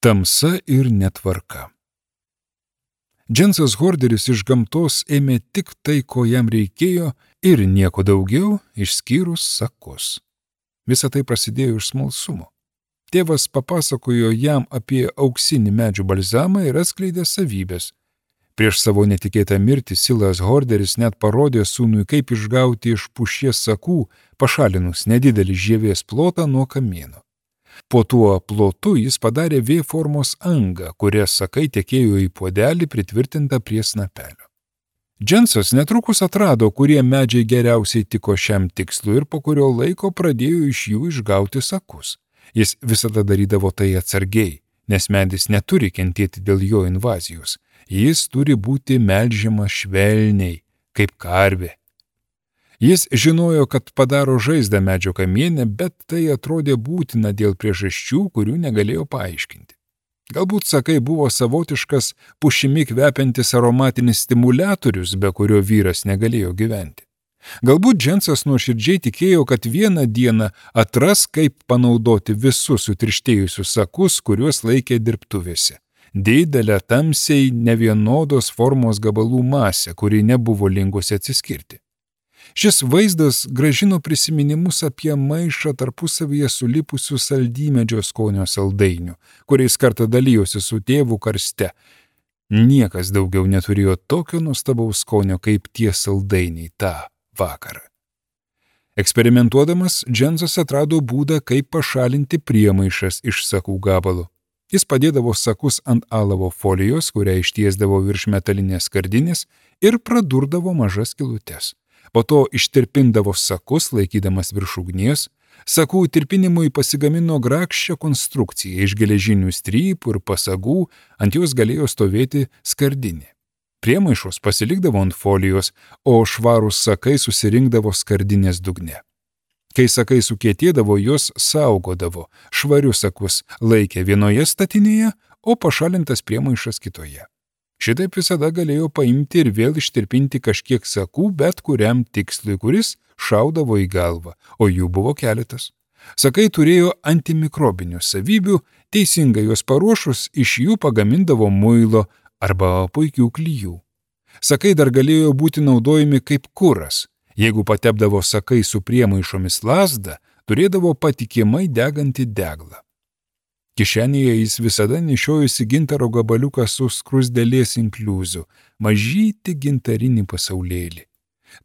Tamsa ir netvarka. Džensas Horderis iš gamtos ėmė tik tai, ko jam reikėjo, ir nieko daugiau, išskyrus sakus. Visa tai prasidėjo iš smalsumo. Tėvas papasakojo jam apie auksinį medžių balzamą ir atskleidė savybės. Prieš savo netikėtą mirtį Silas Horderis net parodė sūnui, kaip išgauti iš pušies sakų, pašalinus nedidelį žievės plotą nuo kamieno. Po tuo plotu jis padarė V formos angą, kuria sakai tekėjo į puodelį pritvirtintą prie snapelio. Džensas netrukus atrado, kurie medžiai geriausiai tiko šiam tikslui ir po kurio laiko pradėjo iš jų išgauti sakus. Jis visada darydavo tai atsargiai, nes medis neturi kentėti dėl jo invazijos. Jis turi būti melžiamas švelniai, kaip karvė. Jis žinojo, kad padaro žaizdą medžio kamiene, bet tai atrodė būtina dėl priežasčių, kurių negalėjo paaiškinti. Galbūt sakai buvo savotiškas pušimi kvepiantis aromatinis stimuliatorius, be kurio vyras negalėjo gyventi. Galbūt Džensas nuoširdžiai tikėjo, kad vieną dieną atras, kaip panaudoti visus sutirštėjusius sakus, kuriuos laikė dirbtuvėse. Didelę tamsiai nevienodos formos gabalų masę, kuri nebuvo linkusi atsiskirti. Šis vaizdas gražino prisiminimus apie maišą tarpusavyje sulipusių saldymedžio skonio saldainių, kuriais kartą dalijosi su tėvu karste. Niekas daugiau neturėjo tokio nuostabaus skonio kaip tie saldainiai tą vakarą. Eksperimentuodamas, Džensas atrado būdą, kaip pašalinti priemaišas iš sakų gabalo. Jis padėdavo sakus ant alavo folijos, kurią ištiesdavo virš metalinės skardinės ir pradurdavo mažas skylutes. Po to ištirpindavo sakus, laikydamas virš ugnies. Sakų tirpinimui pasigamino grakščią konstrukciją iš geležinių strypų ir pasagų, ant jos galėjo stovėti skardinė. Priemaišos pasilikdavo ant folijos, o švarūs sakai susirinkdavo skardinės dugne. Kai sakai sukietėdavo, jos saugodavo, švarius sakus laikė vienoje statinėje, o pašalintas priemaišas kitoje. Šitaip visada galėjo paimti ir vėl ištirpinti kažkiek sakų bet kuriam tikslui, kuris šaudavo į galvą, o jų buvo keletas. Sakai turėjo antimikrobinių savybių, teisingai juos paruošus iš jų pagamindavo muilo arba puikių klijų. Sakai dar galėjo būti naudojami kaip kuras. Jeigu patepdavo sakai su priemaišomis lazdą, turėdavo patikimai degantį deglą. Kišenėje jis visada nešiojosi gintaro gabaliuką su skruzdėlės inkliuzu, mažytį gintarinį pasaulėlį.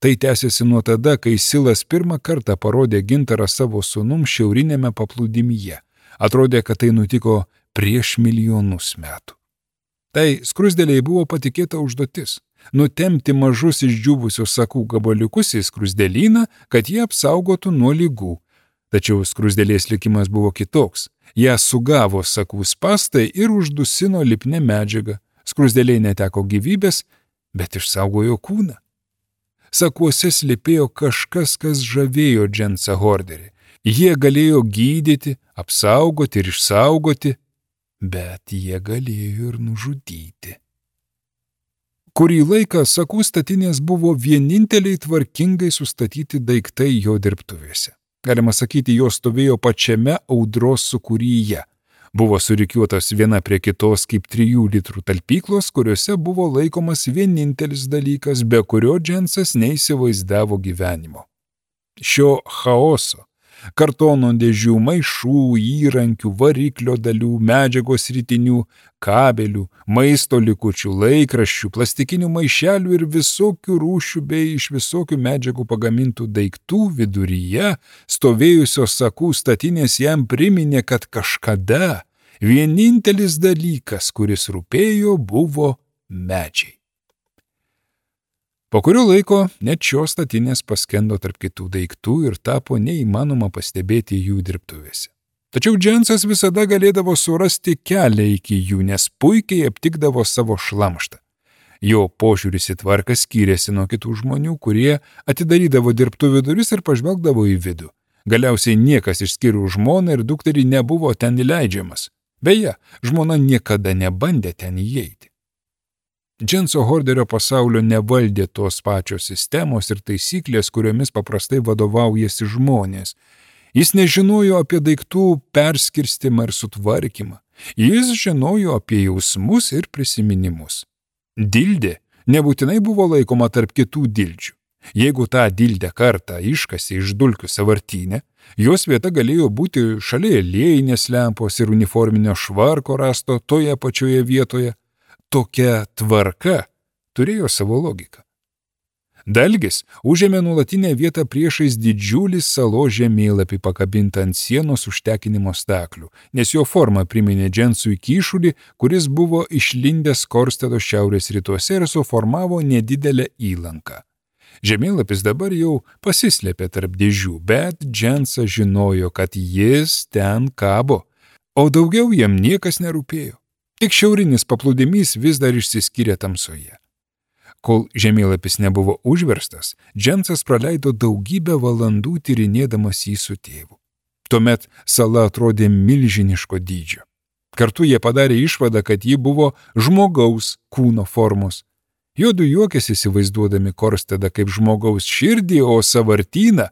Tai tęsiasi nuo tada, kai Silas pirmą kartą parodė gintarą savo sūnums šiaurinėme paplūdimyje. Atrodė, kad tai nutiko prieš milijonus metų. Tai skruzdėlei buvo patikėta užduotis – nutemti mažus išdžiūvusius sakų gabaliukus į skruzdėlyną, kad jie apsaugotų nuo ligų. Tačiau skruzdėlės likimas buvo kitoks. Ją sugavo sakų spastai ir uždusino lipnia medžiaga. Skruzdėlė neteko gyvybės, bet išsaugojo kūną. Sakuose slypėjo kažkas, kas žavėjo Džensą Horderį. Jie galėjo gydyti, apsaugoti ir išsaugoti, bet jie galėjo ir nužudyti. Kurį laiką sakų statinės buvo vieninteliai tvarkingai sustatyti daiktai jo dirbtuvėse. Galima sakyti, jos stovėjo pačiame audros sūkuryje. Buvo surikiuotos viena prie kitos kaip 3 litrų talpyklos, kuriuose buvo laikomas vienintelis dalykas, be kurio Džensas neįsivaizdavo gyvenimo. Šio chaoso, kartono dėžių, maišų, įrankių, variklio dalių, medžiagos ritinių, kabelių, maisto likučių, laikraščių, plastikinių maišelių ir visokių rūšių bei iš visokių medžiagų pagamintų daiktų viduryje stovėjusios sakų statinės jam priminė, kad kažkada vienintelis dalykas, kuris rūpėjo, buvo medžiai. Po kurio laiko net šios statinės paskendo tarp kitų daiktų ir tapo neįmanoma pastebėti jų dirbtuvėse. Tačiau Džensas visada galėdavo surasti kelią iki jų, nes puikiai aptikdavo savo šlamštą. Jo požiūris į tvarką skyrėsi nuo kitų žmonių, kurie atidarydavo dirbtuvių duris ir pažvelgdavo į vidų. Galiausiai niekas išskyrus žmoną ir dukterį nebuvo ten įleidžiamas. Beje, žmona niekada nebandė ten įeiti. Dženso Horderio pasaulio nevaldė tos pačios sistemos ir taisyklės, kuriomis paprastai vadovaujasi žmonės. Jis nežinojo apie daiktų perskirstimą ir sutvarkymą. Jis žinojo apie jausmus ir prisiminimus. Dildė nebūtinai buvo laikoma tarp kitų dildžių. Jeigu tą dildę kartą iškasė iš dulkių sąvartyne, jos vieta galėjo būti šalia aliejinės lempos ir uniforminio švarko rasto toje pačioje vietoje. Tokia tvarka turėjo savo logiką. Dalgis užėmė nuolatinę vietą priešais didžiulį salos žemėlapį pakabintą ant sienos užtekinimo staklių, nes jo forma priminė Džensui kyšulį, kuris buvo išlindęs Korstedo šiaurės rytuose ir suformavo nedidelę įlanką. Žemėlapis dabar jau pasislėpė tarp dėžių, bet Džensas žinojo, kad jis ten kabo, o daugiau jam niekas nerūpėjo. Tik šiaurinis paplūdimys vis dar išsiskyrė tamsoje. Kol žemėlapis nebuvo užverstas, Džensas praleido daugybę valandų tyrinėdamas jį su tėvu. Tuomet sala atrodė milžiniško dydžio. Kartu jie padarė išvadą, kad ji buvo žmogaus kūno formos. Juodu juokėsi įsivaizduodami Korstedą kaip žmogaus širdį, o sąvartyną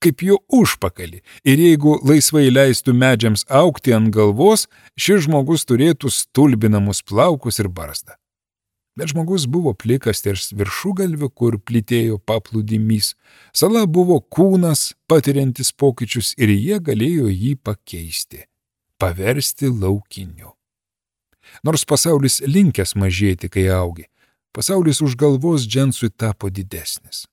kaip jo užpakalį. Ir jeigu laisvai leistų medžiams augti ant galvos, šis žmogus turėtų stulbinamus plaukus ir barzdą. Bet žmogus buvo plikas ties viršugalviu, kur plytėjo paplūdimys. Sala buvo kūnas, patiriantis pokyčius ir jie galėjo jį pakeisti, paversti laukiniu. Nors pasaulis linkęs mažėti, kai augi, pasaulis už galvos Džensui tapo didesnis.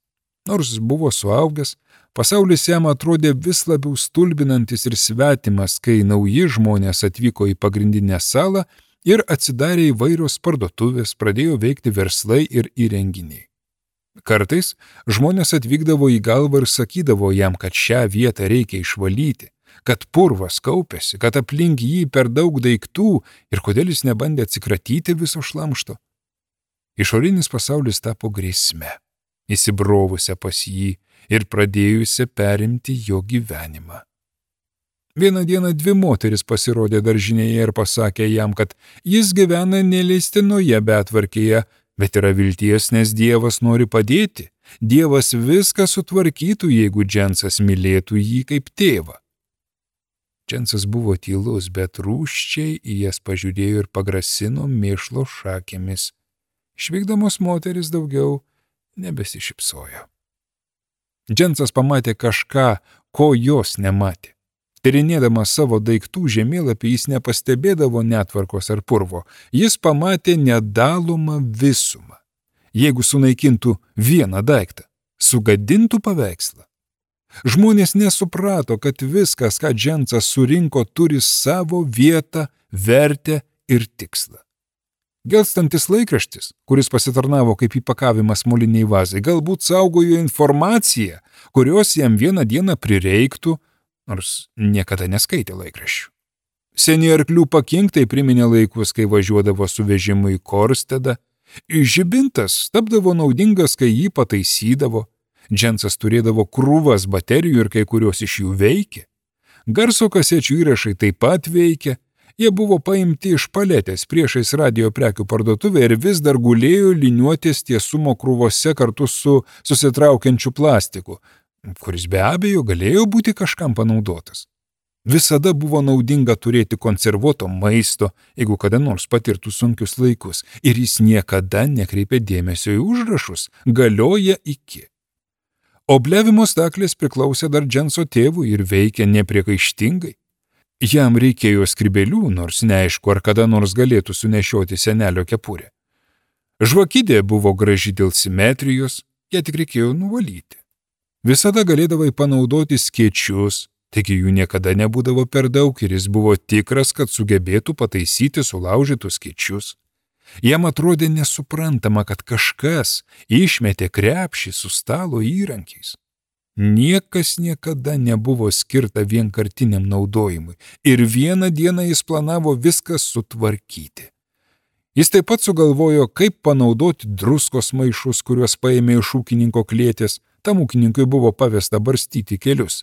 Nors buvo suaugęs, pasaulis jam atrodė vis labiau stulbinantis ir svetimas, kai nauji žmonės atvyko į pagrindinę salą ir atsidarė įvairios parduotuvės, pradėjo veikti verslai ir įrenginiai. Kartais žmonės atvykdavo į galvą ir sakydavo jam, kad šią vietą reikia išvalyti, kad purvas kaupėsi, kad aplink jį per daug daiktų ir kodėl jis nebandė atsikratyti viso šlamšto. Išorinis pasaulis tapo grėsme, įsibrovusią pas jį ir pradėjusią perimti jo gyvenimą. Vieną dieną 2 moteris pasirodė daržinėje ir pasakė jam, kad jis gyvena neleistinoje betvarkėje, bet yra vilties, nes Dievas nori padėti. Dievas viską sutvarkytų, jeigu Džensas mylėtų jį kaip tėvą. Džensas buvo tylus, bet rūsčiai į jas pažiūrėjo ir pagrasino mėšlo šakėmis. Išvykdamos moteris daugiau nebesišypsojo. Džensas pamatė kažką, ko jos nematė. Tyrinėdamas savo daiktų žemėlapį jis nepastebėdavo netvarkos ar purvo. Jis pamatė nedalomą visumą. Jeigu sunaikintų vieną daiktą, sugadintų paveikslą. Žmonės nesuprato, kad viskas, ką Džensas surinko, turi savo vietą, vertę ir tikslą. Gelstantis laikraštis, kuris pasitarnavo kaip įpakavimas moliniai vazai, galbūt saugojo informaciją, kurios jam vieną dieną prireiktų, nors niekada neskaitė laikraščių. Seni arklių pakinktai priminė laikus, kai važiuodavo su vežimu į Korstedą. Žibintas tapdavo naudingas, kai jį pataisydavo. Džensas turėdavo krūvas baterijų ir kai kurios iš jų veikė. Garso kasečių įrašai taip pat veikė. Jie buvo paimti iš paletės priešais radijo prekių parduotuvę ir vis dar gulėjo liniuotės tiesumo krūvose kartu su susitraukiančiu plastiku, kuris be abejo galėjo būti kažkam panaudotas. Visada buvo naudinga turėti konservuoto maisto, jeigu kada nors patirtų sunkius laikus, ir jis niekada nekreipė dėmesio į užrašus, galioja iki. Obliavimo staklės priklausė dar Dženso tėvui ir veikė nepriekaištingai. Jam reikėjo skrybėlių, nors neaišku, ar kada nors galėtų sunešioti senelio kepurę. Žvakidė buvo graži dėl simetrijos, ją tik reikėjo nuvalyti. Visada galėdavai panaudoti skėčius, taigi jų niekada nebūdavo per daug ir jis buvo tikras, kad sugebėtų pataisyti sulaužytus skėčius. Jam atrodė nesuprantama, kad kažkas išmetė krepšį su stalo įrankiais. Niekas niekada nebuvo skirta vienkartiniam naudojimui ir vieną dieną jis planavo viską sutvarkyti. Jis taip pat sugalvojo, kaip panaudoti druskos maišus, kuriuos paėmė iš ūkininko klėties, tam ūkininkui buvo pavesta barstyti kelius.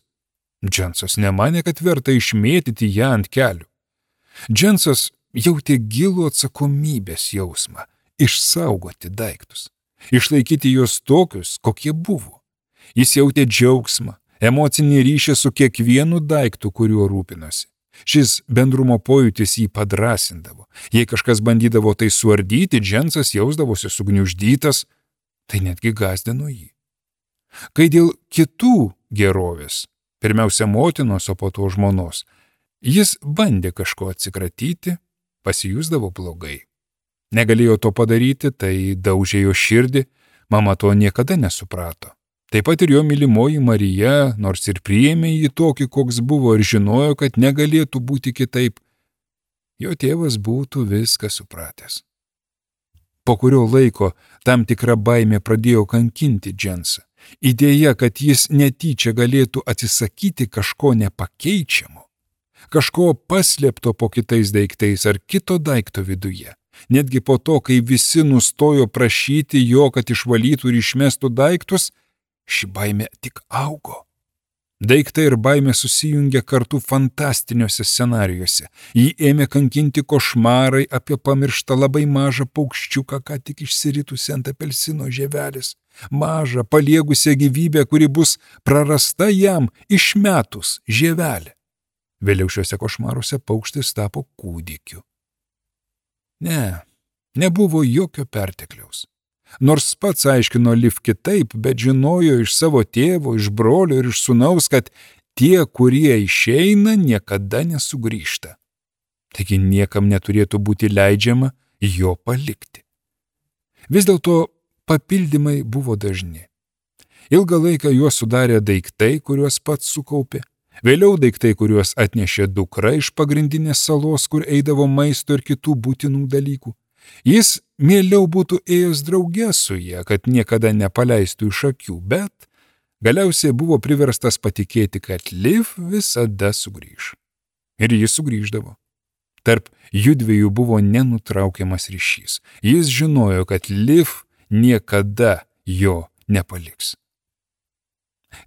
Džensas nemanė, kad verta išmėtyti ją ant kelių. Džensas jautė gilų atsakomybės jausmą išsaugoti daiktus, išlaikyti juos tokius, kokie buvo. Jis jautė džiaugsmą, emocinį ryšį su kiekvienu daiktu, kuriuo rūpinosi. Šis bendrumo pojūtis jį padrasindavo. Jei kažkas bandydavo tai suardyti, Džensas jausdavosi sugniuždytas, tai netgi gąsdino jį. Kai dėl kitų gerovės, pirmiausia motinos, o po to žmonos, jis bandė kažko atsikratyti, pasijusdavo blogai. Negalėjo to padaryti, tai daužė jo širdį, mama to niekada nesuprato. Taip pat ir jo mylimoji Marija, nors ir priėmė jį tokį, koks buvo, ir žinojo, kad negalėtų būti kitaip, jo tėvas būtų viską supratęs. Po kurio laiko tam tikra baimė pradėjo kankinti Džensą. Idėja, kad jis netyčia galėtų atsisakyti kažko nepakeičiamo, kažko paslėpto po kitais daiktais ar kito daikto viduje. Netgi po to, kai visi nustojo prašyti jo, kad išvalytų ir išmestų daiktus, ši baimė tik augo. Daiktai ir baimė susijungia kartu fantastiniuose scenarijuose. Jį ėmė kankinti košmarai apie pamirštą labai mažą paukščiuką, ką tik išsiritusi ant apelsino žievelės. Mažą, paliegusią gyvybę, kuri bus prarasta jam išmetus žievelę. Vėliau šiuose košmaruose paukštis tapo kūdikiu. Nebuvo jokio pertekliaus. Nors pats aiškino Liv kitaip, bet žinojo iš savo tėvo, iš brolio ir iš sūnaus, kad tie, kurie išeina, niekada nesugrįžta. Taigi niekam neturėtų būti leidžiama jo palikti. Vis dėlto papildymai buvo dažni. Ilgą laiką juos sudarė daiktai, kuriuos pats sukaupė. Vėliau daiktai, kuriuos atnešė dukra iš pagrindinės salos, kur eidavo maisto ir kitų būtinų dalykų. Jis mieliau būtų ėjęs drauge su ja, kad niekada nepaleistų iš akių, bet galiausiai buvo priverstas patikėti, kad Liv visada sugrįž. Ir jis sugrįždavo. Tarp judviejų buvo nenutraukiamas ryšys. Jis žinojo, kad Liv niekada jo nepaliks.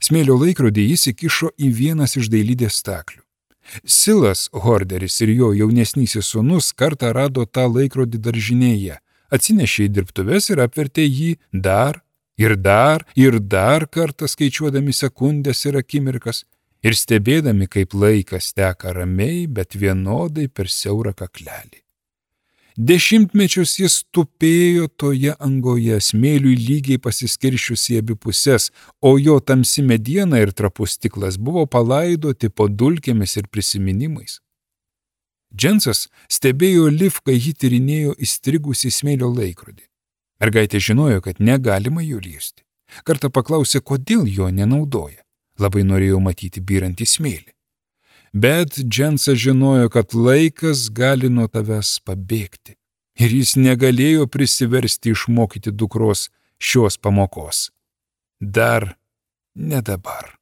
Smėlio laikrodį jis įkišo į vienas iš dailidės staklių. Silas Horderis ir jo jaunesnysis sūnus kartą rado tą laikrodį daržinėje, atsinešė į dirbtuves ir apvertė jį dar kartą skaičiuodami sekundės ir akimirkas ir stebėdami, kaip laikas teka ramiai, bet vienodai per siaurą kaklelį. Dešimtmečius jis tupėjo toje angoje, smėliui lygiai pasiskiršiusi į abi puses, o jo tamsi mediena ir trapus stiklas buvo palaidoti po dulkėmis ir prisiminimais. Džensas stebėjo Liv, kai ji tyrinėjo įstrigusį smėlio laikrodį. Mergaitė žinojo, kad negalima jų liesti. Kartą paklausė, kodėl jo nenaudoja. Labai norėjo matyti byrantį smėlį. Bet Džensas žinojo, kad laikas gali nuo tavęs pabėgti. Ir jis negalėjo prisiversti išmokyti dukros šios pamokos. Dar ne dabar.